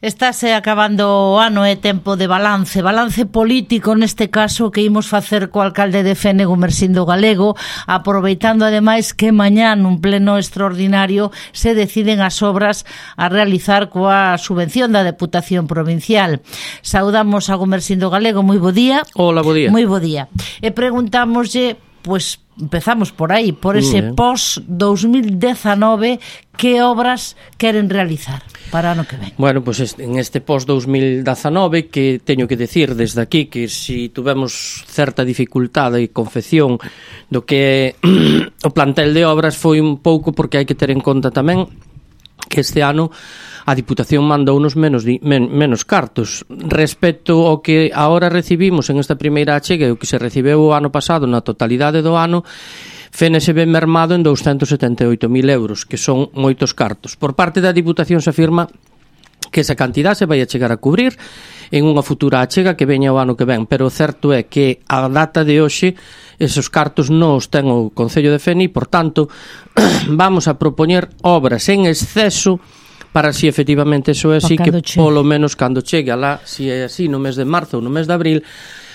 Estáse acabando o ano, é tempo de balance político neste caso que imos facer co alcalde de Fene, Gumersindo Galego, aproveitando ademais que mañá nun pleno extraordinario se deciden as obras a realizar coa subvención da Deputación Provincial. Saudamos a Gumersindo Galego, moi bo día. Hola, bo día. Moi bo día. E preguntámoslle, pois empezamos por aí, por ese post-2019, que obras queren realizar para ano que ven? Bueno, pues en este post-2019 que teño que decir desde aquí que si tuvemos certa dificultade e confección do que o plantel de obras foi un pouco porque hai que ter en conta tamén que este ano a Diputación mandou unos menos cartos respecto ao que agora recibimos en esta primeira achega e o que se recibeu o ano pasado na totalidade do ano. Fene se ve mermado en 278.000 euros, que son moitos cartos. Por parte da Diputación se afirma que esa cantidad se vai a chegar a cubrir en unha futura achega que veña o ano que ven, pero o certo é que a data de hoxe esos cartos non os ten o Concello de Fene e, por tanto, vamos a propoñer obras en exceso para si efectivamente eso é así, que polo menos cando chegue alá, si é así no mes de marzo ou no mes de abril,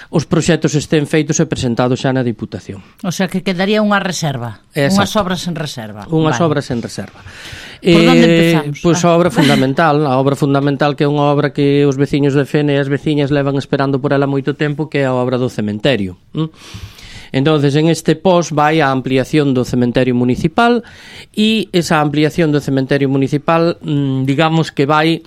os proxectos estén feitos e presentados xa na Diputación. O sea, que quedaría unha reserva. Exacto. Unhas obras en reserva. Unhas obras en reserva. Por onde empezamos? Pois a obra fundamental que é unha obra que os veciños de Fene e as veciñas levan esperando por ela moito tempo, que é a obra do cementerio. Entonces, en este post vai a ampliación do cementerio municipal e esa ampliación do cementerio municipal, digamos que vai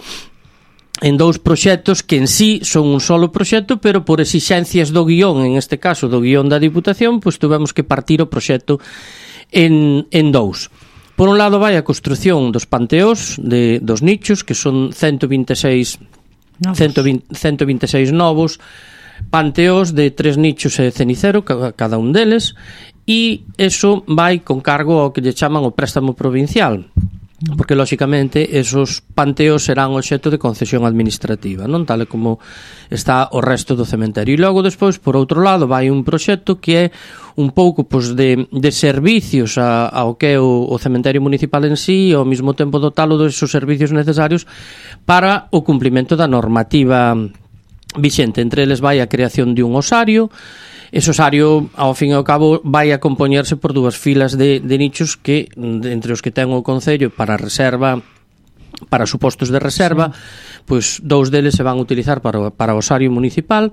en dous proxectos que en sí son un solo proxecto, pero por exixencias do guión, en este caso do guión da Diputación, pois tuvemos que partir o proxecto en dous. Por un lado vai a construción dos panteós dos nichos, que son 126 novos panteós de 3 nichos e cenicero cada un deles, e eso vai con cargo ao que lle chaman o préstamo provincial, porque lóxicamente esos panteos serán obxecto de concesión administrativa, non tal como está o resto do cementerio. E logo despois, por outro lado, vai un proxecto que é un pouco pois, de servicios ao que é o cementerio municipal en sí, e ao mesmo tempo dotalo desos servicios necesarios para o cumprimento da normativa vixente. Entre eles vai a creación de un osario. Ese osario, ao fin e ao cabo, vai a compoñerse por dúas filas de nichos que, entre os que ten o Concello para reserva, para supostos de reserva, pois dous deles se van a utilizar para o osario municipal,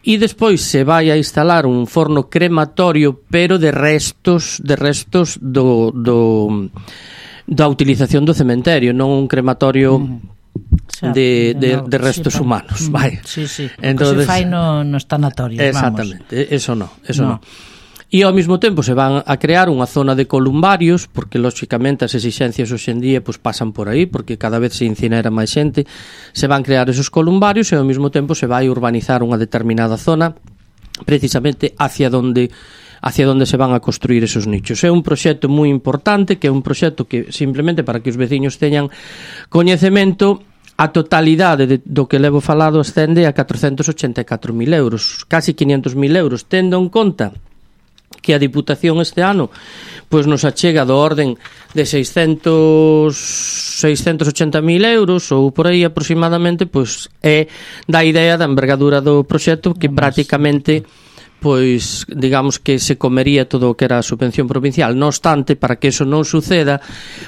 e despois se vai a instalar un forno crematorio, pero de restos da utilización do cementerio, non un crematorio de restos humanos, vai. Sí. Entonces, que se fai nos tanatorios, exactamente, vamos. Eso non. E ao mesmo tempo se van a crear unha zona de columbarios, porque lóxicamente as exixencias hoxe en día pues, pasan por aí, porque cada vez se incinera máis xente, se van crear esos columbarios e ao mesmo tempo se vai urbanizar unha determinada zona precisamente hacia onde se van a construir esos nichos. É un proxecto moi importante, que é un proxecto que simplemente para que os veciños teñan coñecemento, a totalidade do que levo falado ascende a 484.000 euros, casi 500.000 euros, tendo en conta que a Diputación este ano pois nos achega do orden de 680.000 euros ou por aí aproximadamente, pois é da idea da envergadura do proxecto que prácticamente pois digamos que se comería todo o que era a subvención provincial. Non obstante, para que eso non suceda,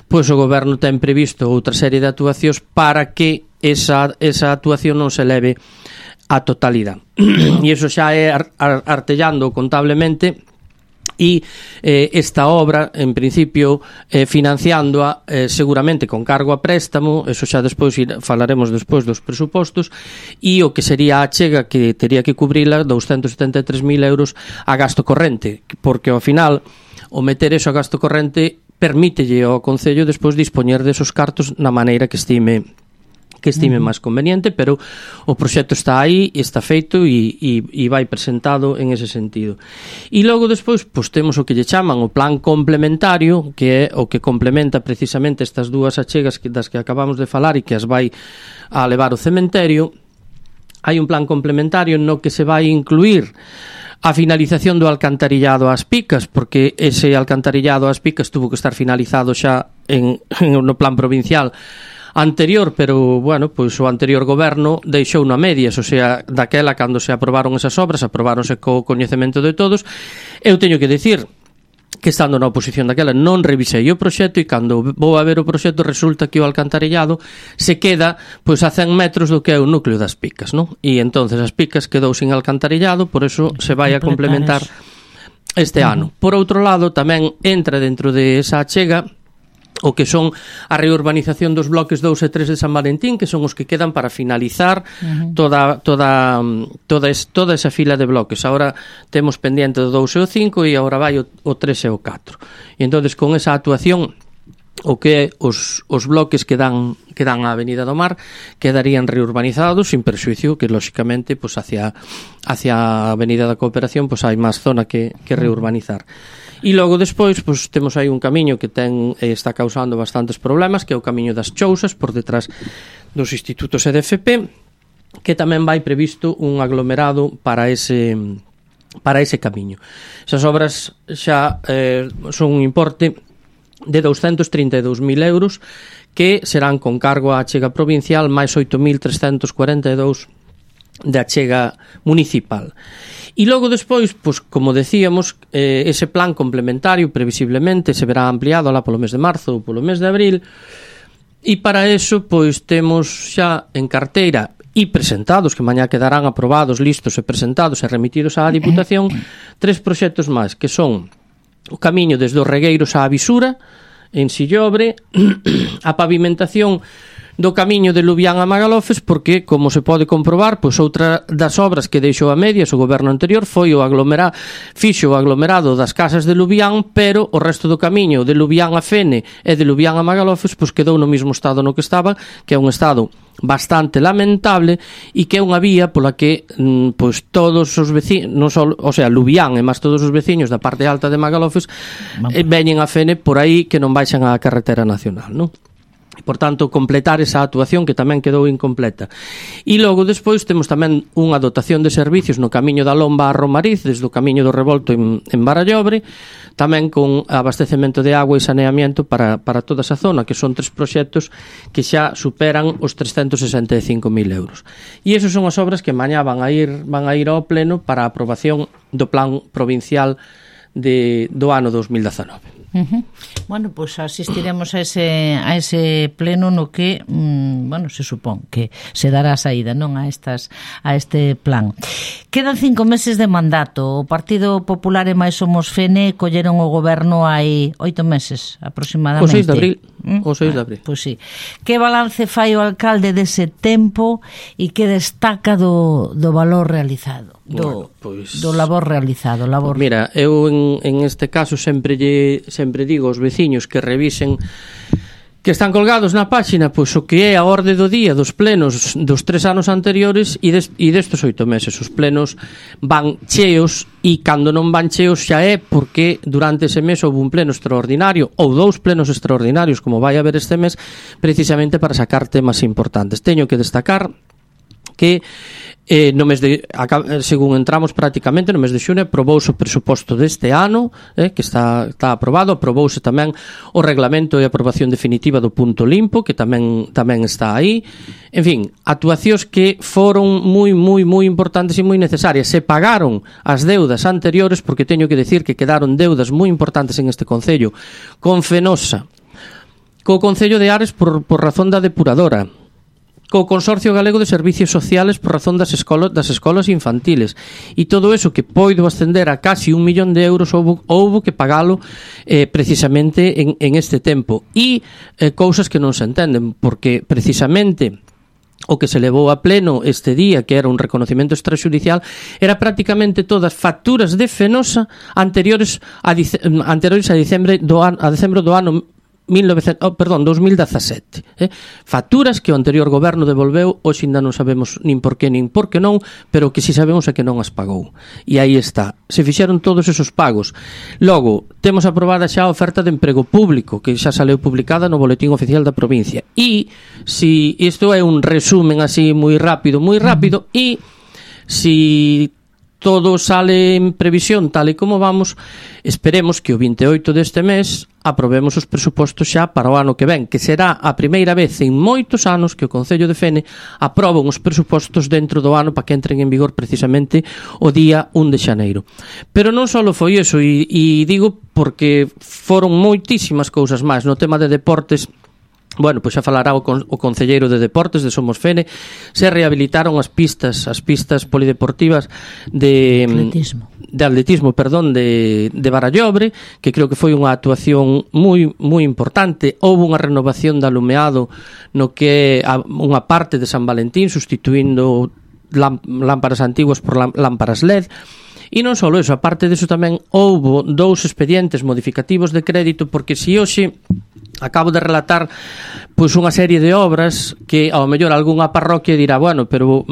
pois o goberno ten previsto outra serie de actuacións para que esa actuación non se leve a totalidade. E iso xa é artellando contablemente, e esta obra, en principio, financiándoa seguramente con cargo a préstamo, eso xa despois falaremos despois dos presupostos, e o que sería a achega que tería que cubrila 273.000 euros a gasto corrente, porque ao final o meter eso a gasto corrente permítelle ao Concello despois dispoñer desos cartos na maneira que estime máis conveniente, pero o proxecto está aí, está feito e vai presentado en ese sentido. E logo despois pois, temos o que lle chaman o plan complementario, que é o que complementa precisamente estas dúas achegas das que acabamos de falar e que as vai a levar o cementerio. Hai un plan complementario no que se vai incluir a finalización do alcantarillado ás Picas, porque ese alcantarillado ás Picas tuvo que estar finalizado xa no plan provincial anterior, pero, bueno, pois o anterior goberno deixou na medias, o sea, daquela, cando se aprobaron esas obras, aprobáronse co coñecemento de todos. Eu teño que dicir que, estando na oposición daquela, non revisei o proxecto, e cando vou a ver o proxecto resulta que o alcantarillado se queda pois a 100 metros do que é o núcleo das Picas, non? E entonces as Picas quedou sin alcantarillado, por eso se vai a complementar este ano. Por outro lado, tamén entra dentro de esa achega o que son a reurbanización dos bloques 2 e 3 de San Valentín, que son os que quedan para finalizar toda esa fila de bloques. Ahora temos pendiente o 2 e o 5 e agora vai o 3 e o 4. E entonces, con esa actuación, o que os bloques que dan á Avenida do Mar quedarían reurbanizados, sin perxuicio que, lóxicamente, pues hacia a Avenida da Cooperación pues hai máis zona que reurbanizar. E logo despois pues temos aí un camiño que está causando bastantes problemas, que é o camiño das Chousas, por detrás dos institutos EDFP, que tamén vai previsto un aglomerado para ese camiño. Esas obras xa son un importe de 232.000 euros, que serán con cargo á achega provincial, máis 8.342 de achega municipal. E logo despois, pois, como decíamos, ese plan complementario previsiblemente se verá ampliado alá polo mes de marzo ou polo mes de abril, e para eso pois temos xa en carteira e presentados, que mañá quedarán aprobados, listos e presentados e remitidos á Diputación, 3 proxectos máis, que son o camiño desde os Regueiros á Visura, en Sillobre, a pavimentación do camiño de Lubián a Magalofes, porque, como se pode comprobar, pois outra das obras que deixou a medias o goberno anterior foi fixo o aglomerado das casas de Lubián, pero o resto do camiño de Lubián a Fene e de Lubián a Magalofes pois quedou no mesmo estado no que estaba, que é un estado bastante lamentable, e que é unha vía pola que pois todos os veciños, non só, o sea, Lubián e máis todos os veciños da parte alta de Magalofes veñen a Fene por aí, que non baixan á carretera nacional, non? E, por tanto, completar esa actuación que tamén quedou incompleta. E logo despois temos tamén unha dotación de servicios no camiño da Lomba a Romariz, desde o camiño do Revolto en Barallobre, tamén con abastecemento de agua e saneamiento para toda esa zona, que son 3 proxectos que xa superan os 365.000 euros. E esas son as obras que mañá van a ir ao pleno para a aprobación do plan provincial do ano 2019. Bueno, pues asistiremos a ese pleno no que, bueno, se supón que se dará saída, non, a este plan. Quedan 5 meses de mandato. O Partido Popular e máis Somos Fene colleron o goberno hai 8 meses aproximadamente. O 6 de abril. O 6 de abril. Pois sí. Que balance fai o alcalde dese tempo e que destaca do valor realizado? Do labor realizado. Mira, eu en este caso sempre digo aos veciños que revisen, que están colgados na páxina, pois o que é a orde do día dos plenos dos 3 anos anteriores e destes 8 meses. Os plenos van cheos, e cando non van cheos xa é porque durante ese mes houve un pleno extraordinario ou 2 plenos extraordinarios, como vai haber este mes, precisamente para sacar temas importantes. Teño que destacar que no mes de, según entramos prácticamente no mes de xune, aprobouse o presuposto deste ano, que está aprobado. Aprobouse tamén o reglamento e aprobación definitiva do punto limpo, que tamén está aí. En fin, actuacións que foron moi importantes e moi necesarias. Se pagaron as deudas anteriores, porque teño que decir que quedaron deudas moi importantes en este concello, con Fenosa, co Concello de Ares por razón da depuradora, co Consorcio Galego de Servicios Sociales por razón das escolas infantiles, e todo eso que poido ascender a casi 1 millón de euros houbo que pagalo precisamente en este tempo, e cousas que non se entenden, porque precisamente o que se levou a pleno este día, que era un reconocimento extrajudicial, era prácticamente todas facturas de Fenosa anteriores a decembro do ano 2017, facturas que o anterior goberno devolveu. Hoxe ainda non sabemos nin por que non, pero que si sabemos é que non as pagou, e aí está, se fixeron todos esos pagos. Logo, temos aprobada xa a oferta de emprego público, que xa saleu publicada no Boletín Oficial da Provincia, e si isto é un resumen así moi rápido, e si todo sale en previsión tal e como vamos, esperemos que o 28 deste mes aprobemos os presupostos xa para o ano que ven, que será a primeira vez en moitos anos que o Concello de Fene aproba os presupostos dentro do ano para que entren en vigor precisamente o día 1 de xaneiro. Pero non só foi iso, e digo porque foron moitísimas cousas máis no tema de deportes. Bueno, pois xa falará o concelleiro de Deportes de Somos Fene. Se rehabilitaron as pistas polideportivas de atletismo, de Barallobre, que creo que foi unha actuación moi importante. Houve unha renovación de alumeado no que é unha parte de San Valentín, sustituindo lámparas antiguas por lámparas LED. E non só iso, aparte diso tamén houve 2 expedientes modificativos de crédito, porque se hoxe acabo de relatar pois unha serie de obras que ao mellor algunha parroquia dirá, bueno, pero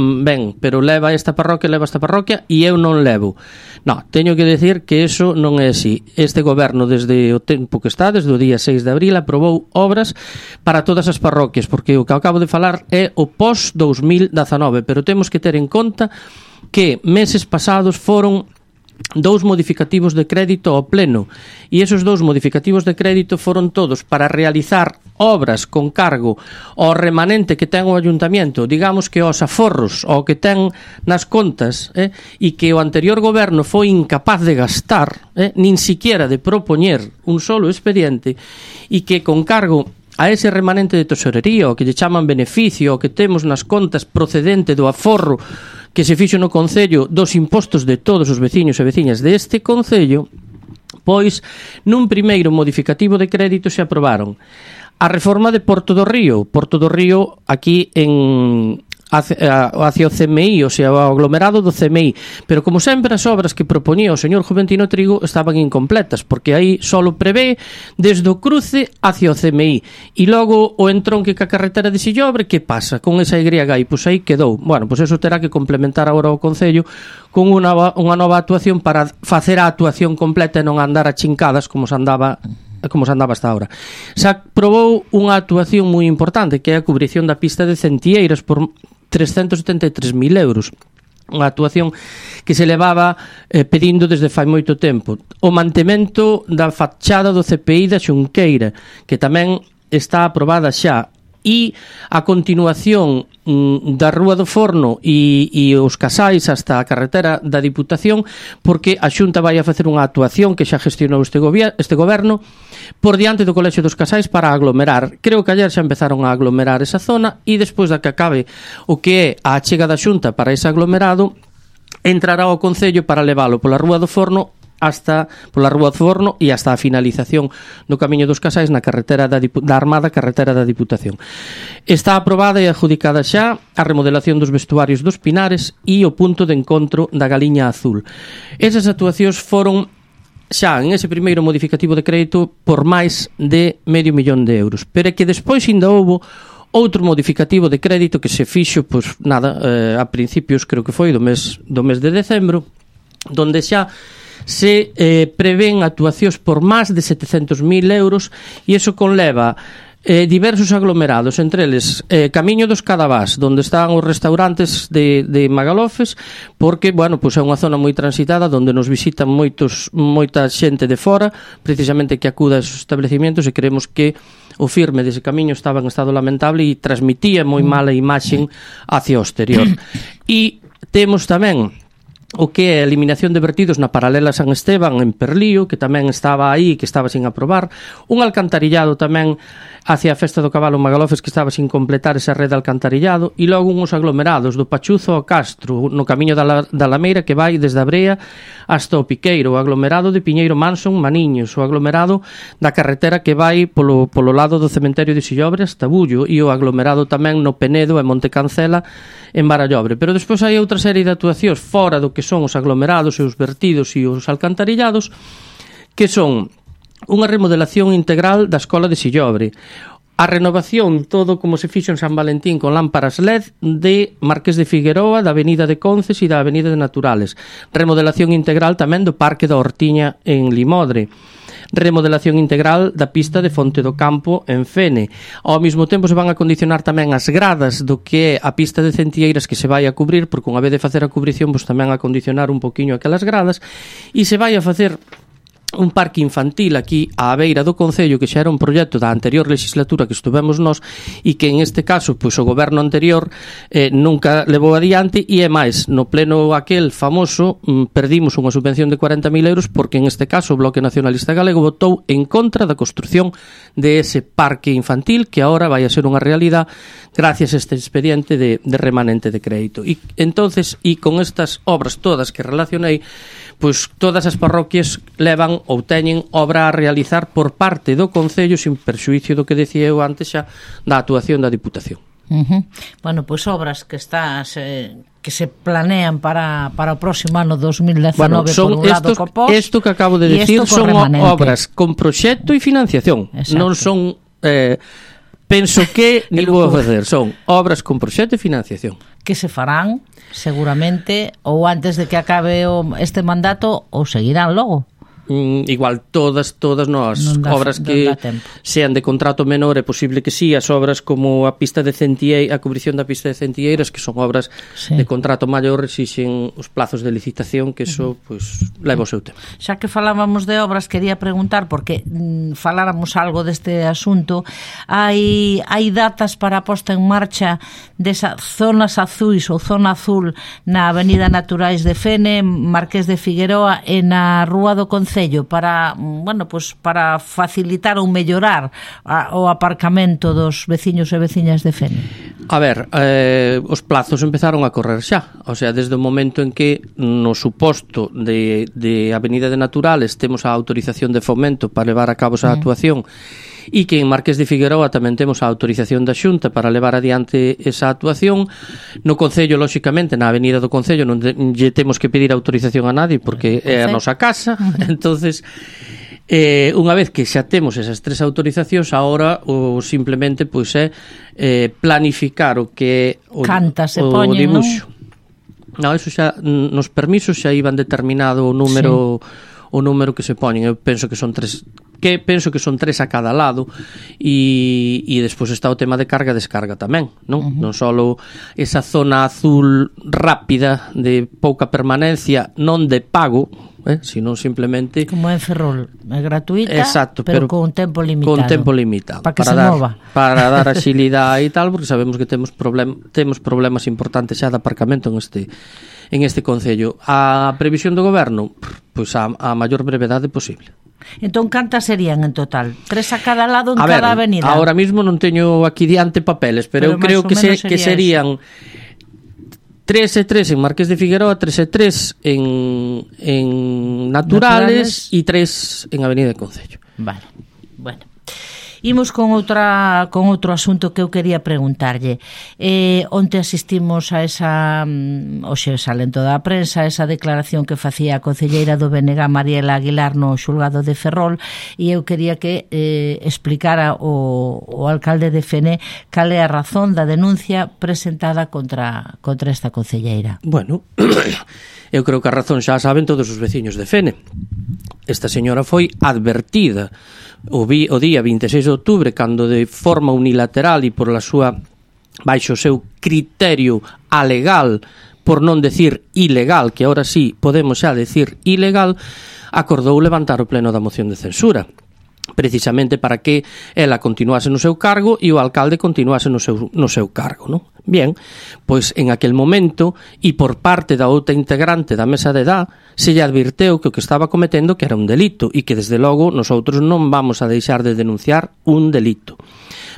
leva esta parroquia e eu non levo. Non, teño que decir que eso non é así. Este goberno, desde o tempo que está, desde o día 6 de abril, aprobou obras para todas as parroquias, porque o que acabo de falar é o pós-2019, pero temos que ter en conta que meses pasados foron 2 modificativos de crédito ao pleno, e esos 2 modificativos de crédito foron todos para realizar obras con cargo ao remanente que ten o ayuntamiento, digamos que aos aforros, ao que ten nas contas, e que o anterior goberno foi incapaz de gastar, nin siquiera de propoñer un solo expediente, e que con cargo a ese remanente de tesorería, o que lle chaman beneficio, o que temos nas contas procedente do aforro que se fixo no Concello dos impostos de todos os veciños e veciñas deste Concello, pois nun primeiro modificativo de crédito se aprobaron a reforma de Porto do Río aquí hacia o CMI, o sea, o aglomerado do CMI, pero como sempre as obras que proponía o señor Juventino Trigo estaban incompletas, porque aí solo prevé desde o cruce hacia o CMI, e logo o entronque ca carretera de Sillobre, que pasa con esa Y aí? Pois aí quedou. Bueno, pois eso terá que complementar agora o Concello con unha nova actuación para facer a actuación completa e non andar a chincadas como se andaba hasta ahora. Se aprobou unha actuación moi importante, que é a cubrición da pista de Centieiras por 373.000 euros. Unha actuación que se levaba pedindo desde fai moito tempo. O mantemento da fachada do CPI da Xunqueira, que tamén está aprobada xa, e a continuación da Rúa do Forno e os Casais hasta a carretera da Diputación, porque a Xunta vai a facer unha actuación que xa gestionou este goberno por diante do Colexio dos Casais para aglomerar. Creo que ayer xa empezaron a aglomerar esa zona, e despois da que acabe o que é a achega da Xunta para ese aglomerado, entrará ao Concello para leválo pola Rúa do Forno e hasta a finalización do Camiño dos Casais na carretera da Armada, carretera da Diputación. Está aprobada e adjudicada xa a remodelación dos vestuarios dos Pinares e o punto de encontro da Galiña Azul. Esas actuacións foron xa en ese primeiro modificativo de crédito por máis de €500.000, pero é que despois ainda houbo outro modificativo de crédito que se fixo, a principios, creo que foi do mes de decembro, donde xa se prevén actuacións por máis de €700.000, e iso conleva diversos aglomerados, entre eles Camiño dos Cadavás, onde están os restaurantes de Magalofes, porque, bueno, pois é unha zona moi transitada onde nos visitan moita xente de fora, precisamente que acuda a esos establecimientos, e creemos que o firme dese camiño estaba en estado lamentable e transmitía moi mala imaxen hacia o exterior. E temos tamén o que é a eliminación de vertidos na paralela San Esteban en Perlío, que tamén estaba aí, que estaba sin aprobar, un alcantarillado tamén hacia a Festa do Cabalo Magalofes, que estaba sin completar esa rede de alcantarillado, e logo uns aglomerados do Pachuzo ao Castro, no camiño da Lameira, que vai desde a Brea hasta o Piqueiro, o aglomerado de Piñeiro Manson Maniños, o aglomerado da carretera que vai polo lado do cementerio de Sillobre hasta Bullo, e o aglomerado tamén no Penedo e Monte Cancela en Barallobre. Pero despois hai outra serie de actuacións fora do que son os aglomerados e os vertidos e os alcantarillados, que son unha remodelación integral da Escola de Sillobre, a renovación, todo como se fixo en San Valentín con lámparas LED de Marqués de Figueroa, da Avenida de Conces e da Avenida de Naturales, remodelación integral tamén do Parque da Hortiña en Limodre, remodelación integral da pista de Fonte do Campo en Fene. Ao mesmo tempo se van a condicionar tamén as gradas do que é a pista de Centelleiras que se vai a cubrir, porque unha vez de facer a cubrición, pois tamén a condicionar un poquinho aquelas gradas, e se vai a facer un parque infantil aquí á beira do Concello, que xa era un proxecto da anterior legislatura que estuvemos nós e que en este caso pois o goberno anterior nunca levou adiante, e é máis, no pleno aquel famoso perdimos unha subvención de 40.000 euros porque en este caso o Bloque Nacionalista Galego votou en contra da construción de ese parque infantil que agora vai a ser unha realidade gracias a este expediente de remanente de crédito. E entonces, e con estas obras todas que relacionei, pois todas as parroquias levan ou teñen obra a realizar por parte do Concello sin perxuízo do que decía eu antes xa da actuación da Diputación. Bueno, pois obras que que se planean para o próximo ano 2019, bueno, por un lado co POS. Isto que acabo de decir son obras con proxecto e financiación. Exacto. Non son penso que ni vou facer, son obras con proxecto e financiación que se farán seguramente ou antes de que acabe este mandato ou seguirán logo. Igual todas as obras que sean de contrato menor é posible que sí, as obras como a pista de Centelleiras, a cubrición da pista de Centelleiras, que son obras de contrato maior, exixen os plazos de licitación, que eso pues leva o seu tempo. Xa que falábamos de obras, quería preguntar, porque faláramos algo deste asunto, hai datas para a posta en marcha desas zonas azuis ou zona azul na Avenida Naturais de Fene, Marqués de Figueroa e na Rúa do Concello, para, bueno, pues para facilitar ou mellorar o aparcamento dos veciños e veciñas de Fene? A ver, os plazos empezaron a correr xa, o sea, desde o momento en que no suposto de Avenida de Naturales temos a autorización de fomento para levar a cabo esa actuación, e que en Marqués de Figueroa tamén temos a autorización da Xunta para levar adiante esa actuación. No Concello, lóxicamente, na Avenida do Concello non lle temos que pedir autorización a nadie porque é a nosa casa. Entonces, unha vez que xa temos esas tres autorizacións, agora o simplemente pois é planificar o que é o dibuixo. Non, eso xa nos permisos xa iban determinado o número que se poñen. Eu penso que son tres a cada lado, e despois está o tema de carga e descarga tamén, non? Non só esa zona azul rápida de pouca permanencia, non de pago, sino simplemente como en Ferrol, é gratuita, exacto, pero con tempo limitado. Con tempo limitado. Para dar axilidade e tal, porque sabemos que temos problemas importantes xa de aparcamento en este Concello. A previsión do goberno, pois a maior brevedade posible. Entón, cantas serían en total? 3 a cada lado en cada avenida? Ahora mismo non teño aquí diante papeles, pero eu creo que serían 3 e 3 en Marqués de Figueroa, 3 e 3 en Naturales e 3 en Avenida de Concello. Vale, bueno. Imos con outro asunto que eu quería preguntarlle. Onte asistimos a esa, hoxe salento da prensa, esa declaración que facía a concelleira do BNG, Mariela Aguilar, no xulgado de Ferrol, e eu quería que explicara o alcalde de Fene cal é a razón da denuncia presentada contra esta concelleira. Bueno, eu creo que a razón xa saben todos os veciños de Fene. Esta señora foi advertida o día 26 de outubro, cando de forma unilateral e por la súa baixo o seu criterio alegal, por non decir ilegal, que ahora sí podemos xa decir ilegal, acordou levantar o pleno da moción de censura, precisamente para que ela continuase no seu cargo e o alcalde continuase no seu cargo, non? Bien, pois en aquel momento e por parte da outra integrante da mesa de edad se lle advirteu que o que estaba cometendo que era un delito e que desde logo nosotros non vamos a deixar de denunciar un delito.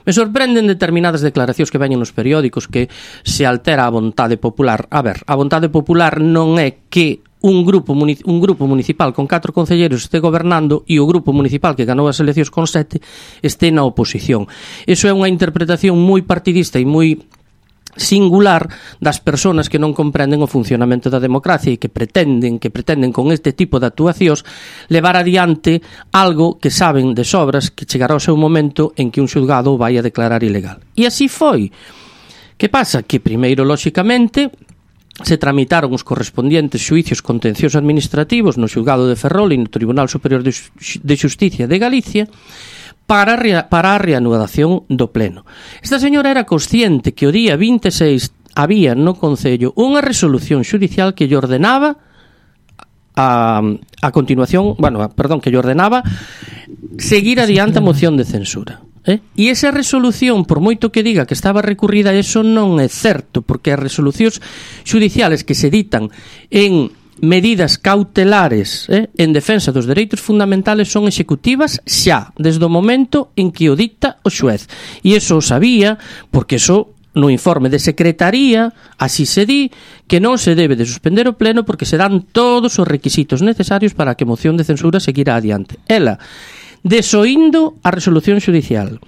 Me sorprenden determinadas declaracións que veñen nos periódicos que se altera a vontade popular. A ver, a vontade popular non é que un grupo municipal con 4 concelleiros este gobernando e o grupo municipal que ganou as eleccións con 7 este na oposición. Iso é unha interpretación moi partidista e moi singular das persoas que non comprenden o funcionamento da democracia e que pretenden con este tipo de actuacións levar adiante algo que saben de sobras que chegará o seu momento en que un xulgado o vai a declarar ilegal. E así foi. Que pasa? Que primeiro, lóxicamente, se tramitaron os correspondientes xuicios contenciosos administrativos no xulgado de Ferrol e no Tribunal Superior de Xusticia de Galicia para a reanudación do pleno. Esta señora era consciente que o día 26 había no Concello unha resolución xudicial que lle ordenaba a continuación, que lle ordenaba seguir adiante a moción de censura. E esa resolución, por moito que diga que estaba recurrida, eso non é certo, porque as resolucións xudiciales que se ditan en medidas cautelares en defensa dos dereitos fundamentales son executivas xa, desde o momento en que o dicta o xuez. E eso o sabía, porque eso no informe de secretaría así se di que non se debe de suspender o pleno porque se dan todos os requisitos necesarios para que a moción de censura seguira adiante. Ela, desoindo a resolución xudicial,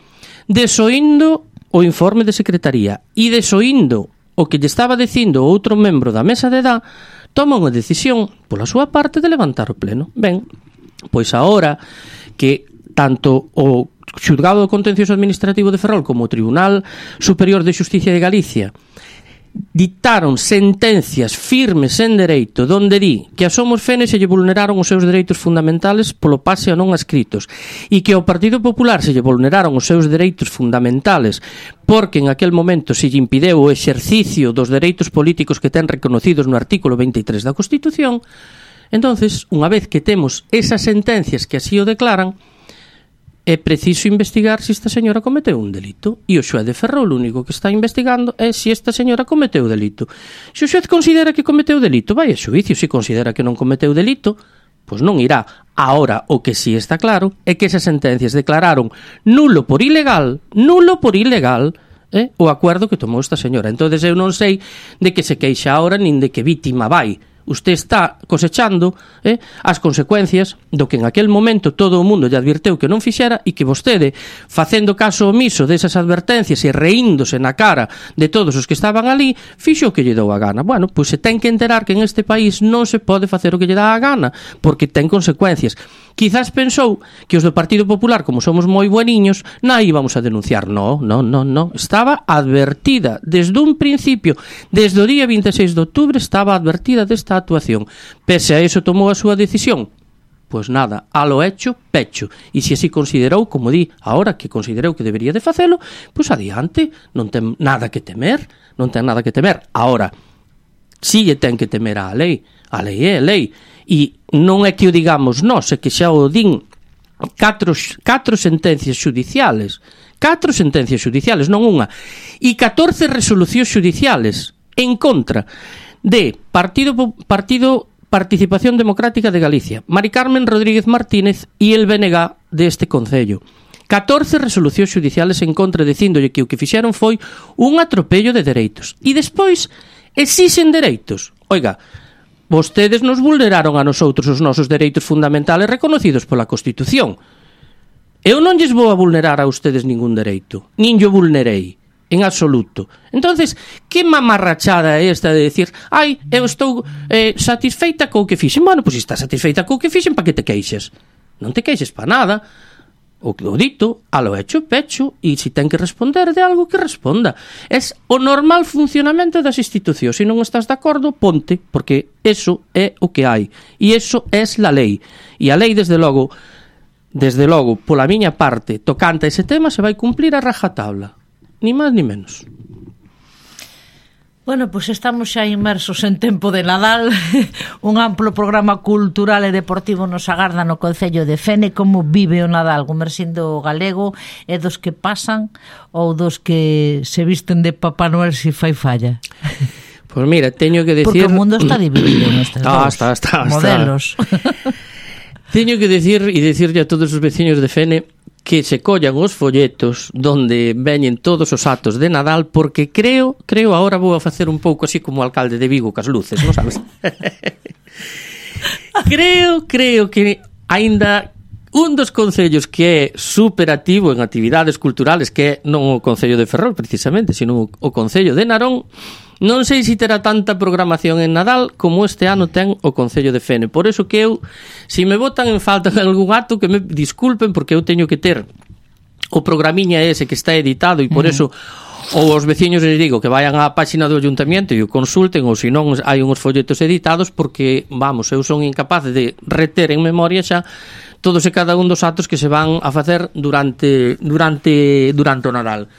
desoindo o informe de secretaría e desoindo o que lle estaba dicindo outro membro da mesa de edad, toma unha decisión pola súa parte de levantar o pleno. Ben, pois agora que tanto o Xulgado do Contencioso Administrativo de Ferrol como o Tribunal Superior de Xusticia de Galicia dictaron sentencias firmes en dereito donde di que a Somos Fene se lle vulneraron os seus dereitos fundamentales polo pase a non adscritos e que ao Partido Popular se lle vulneraron os seus dereitos fundamentales porque en aquel momento se lle impideu o exercicio dos dereitos políticos que ten reconocidos no artículo 23 da Constitución. Entonces, unha vez que temos esas sentencias que así o declaran, é preciso investigar se esta señora cometeu un delito. E o xuez de Ferrol o único que está investigando é se esta señora cometeu delito. Se o xuez considera que cometeu delito, vai a xuicio. Se considera que non cometeu delito, pois non irá. Ahora, o que sí está claro é que esas sentencias declararon nulo por ilegal o acuerdo que tomou esta señora. Entonces eu non sei de que se queixa ahora nin de que vítima vai. Usted está cosechando as consecuencias do que en aquel momento todo o mundo lle advirteu que non fixera e que vostede, facendo caso omiso desas advertencias e reíndose na cara de todos os que estaban ali, fixo o que lle dou a gana. Bueno, pois se ten que enterar que en este país non se pode facer o que lle dá a gana, porque ten consecuencias. Quizás pensou que os do Partido Popular, como somos moi bueniños, non íbamos a denunciar. No. Estaba advertida desde un principio, desde o día 26 de outubro estaba advertida desta actuación. Pese a eso tomou a súa decisión. Pois nada, a lo hecho, pecho. E se así considerou, como di, ahora que considerou que debería de facelo, pois adiante, non ten nada que temer. Ahora, si lle ten que temer a lei é a lei. E non é que o digamos nós, é que xa o din catro sentencias xudiciales, non unha, e 14 resolucións xudiciales en contra de Partido Participación Democrática de Galicia, Mari Carmen Rodríguez Martínez e el BNG deste Concello. 14 resolucións xudiciales en contra, dicíndolle que o que fixeron foi un atropello de dereitos. E despois exixen dereitos. Oiga, vostedes nos vulneraron a nosotros os nosos dereitos fundamentales reconocidos pola Constitución. Eu non lles vou a vulnerar a ustedes ningún dereito, nin yo vulnerei, en absoluto. Entonces, que mamarrachada é esta de decir, eu estou satisfeita co que fixen? Bueno, pois se estás satisfeita co que fixen, pa que te queixes? Non te queixes pa nada. O dito, a lo hecho, pecho, e se ten que responder de algo, que responda. É o normal funcionamento das institucións. Se non estás de acordo, ponte, porque eso é o que hai. E eso é la lei. E a lei, desde logo, pola miña parte, tocante a ese tema, se vai cumplir a rajatabla. Ni máis ni menos. Bueno, pois estamos xa inmersos en tempo de Nadal. Un amplo programa cultural e deportivo nos agarda no Concello de Fene. Como vive o Nadal, Gumersindo Galego? É dos que pasan ou dos que se visten de Papá Noel se fai falla? Pois mira, teño que decir... Porque o mundo está dividido nestes modelos. Teño que decir e dicirlle a todos os veciños de Fene que se collan os folletos donde veñen todos os actos de Nadal, porque creo, agora vou a facer un pouco así como o alcalde de Vigo cas luces, non sabes? creo que aínda un dos concellos que é superactivo en actividades culturales, que é non o Concello de Ferrol precisamente, sino o Concello de Narón, non sei se terá tanta programación en Nadal como este ano ten o Concello de Fene. Por eso que eu, se me botan en falta en algún acto, que me disculpen, porque eu teño que ter o programiña ese que está editado e por eso ou os veciños les digo que vayan á páxina do Ayuntamiento e o consulten, ou se non hai uns folletos editados, porque, vamos, eu son incapaz de reter en memoria xa todos e cada un dos actos que se van a facer durante o Nadal.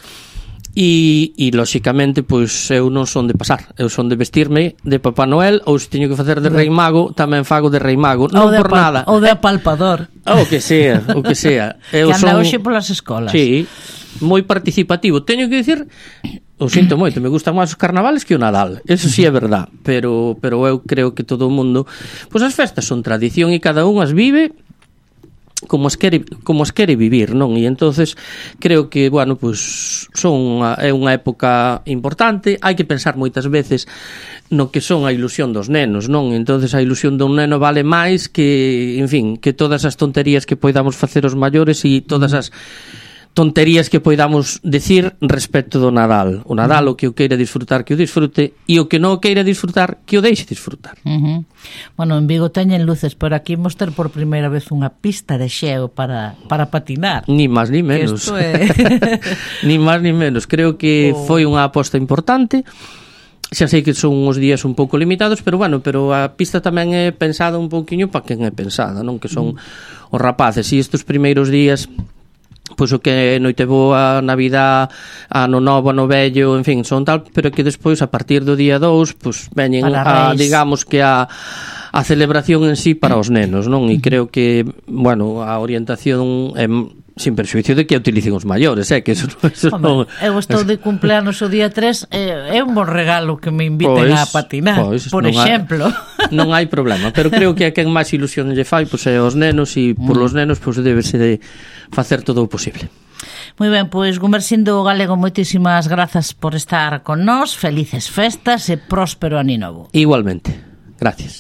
E lóxicamente, pois eu non son de pasar, eu son de vestirme de Papá Noel, ou se teño que facer de Rei Mago, tamén fago de Rei Mago, non por nada. Ou de apalpador. O que sea. Eu que anda hoxe polas escolas. Sí, moi participativo. Teño que dicir, o sinto moito, me gustan máis os carnavales que o Nadal, eso sí é verdad, pero eu creo que todo o mundo, pois as festas son tradición e cada un as vive como as quere vivir, non? E entonces creo que, bueno, pues é unha época importante, hai que pensar moitas veces no que son a ilusión dos nenos, non? Entonces a ilusión dun neno vale máis que, en fin, que todas as tonterías que poidamos facer os maiores e todas as tonterías que poidamos decir respecto do Nadal. O Nadal, o que o queira disfrutar, que o disfrute, e o que non o queira disfrutar, que o deixe disfrutar. Bueno, en Vigo teñen luces, pero aquí imos ter por primeira vez unha pista de xeo para patinar. Ni máis ni menos. Ni máis ni menos. Creo que foi unha aposta importante. Xa sei que son uns días un pouco limitados, pero bueno, pero a pista tamén é pensada un pouquiño para quen é pensada, non? Que son os rapaces. E estes primeiros días, pois o que Noiteboa, Navidad, Ano Novo, Ano Vello, en fin, son tal, pero que despois a partir do día 2, pois veñen digamos que a celebración en sí para os nenos, non? E creo que, bueno, a orientación é sin perxuicio de que a utilicen os maiores, que eso non... Eu estou de cumpleanos o día 3, é un bon regalo que me inviten a patinar, por exemplo. Non hai problema, pero creo que a quen máis ilusión lle fai, pois é os nenos, e por os nenos, pois débese de facer todo o posible. Moi ben, pois Gumersindo Galego, moitísimas grazas por estar con nós, felices festas e próspero ano novo. Igualmente, gracias.